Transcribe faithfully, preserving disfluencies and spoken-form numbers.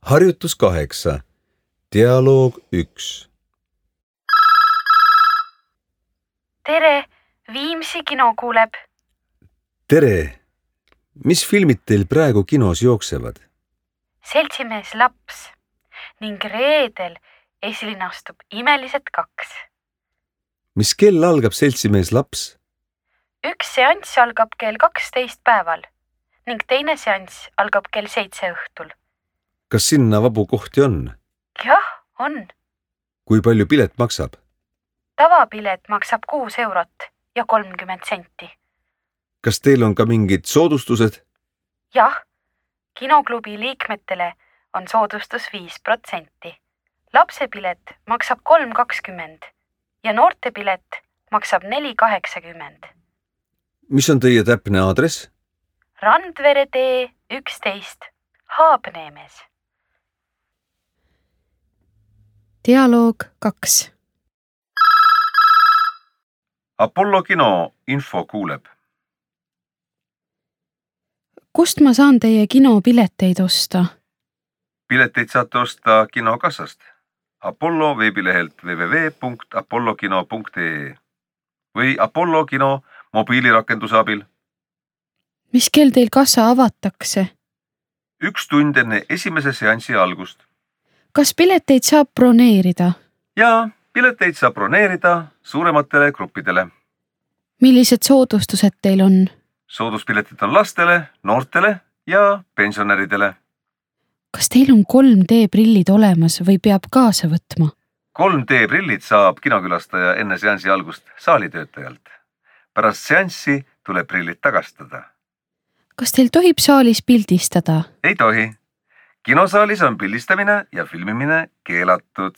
Harjutus kaheksa. Dialoog üks. Tere, Viimsi kino kuuleb. Tere! Mis filmid teil praegu kinos jooksevad? Seltsimees laps ning reedel esilinastub Imelised kaks. Mis kell algab Seltsimees laps? Üks seanss algab kell kaksteist päeval ning teine seanss algab kell seitse õhtul. Kas sinna vabu kohti on? Jah, on. Kui palju pilet maksab? Tavapilet maksab kuus eurot ja kolmkümmend senti. Kas teil on ka mingid soodustused? Jah, kinoklubi liikmetele on soodustus viis protsenti. Lapsepilet maksab kolm kakskümmend ja noortepilet maksab neli kaheksakümmend. Mis on teie täpne aadress? Randvere tee üksteist, Haabneemes. Dialoog kaks. Apollo kino info kuuleb. Kust ma saan teie kinopileteid osta? Pileteid saate osta kinokassast. Apollo veebilehelt w w w punkt apollokino punkt e e või Apollo kino mobiilirakenduse abil. Mis kell teil kassa avatakse? Üks tund enne esimese seansi algust. Kas pileteid saab broneerida? Ja pileteid saab broneerida suurematele gruppidele. Millised soodustused teil on? Sooduspiletid on lastele, noortele ja pensionäridele. Kas teil on kolm D prillid olemas või peab kaasa võtma? kolm D prillid saab kinokülastaja enne seansi algust saalitöötajalt. Pärast seanssi tuleb prillid tagastada. Kas teil tohib saalis pildistada? Ei tohi. Kinosaalis on pildistamine ja filmimine keelatud.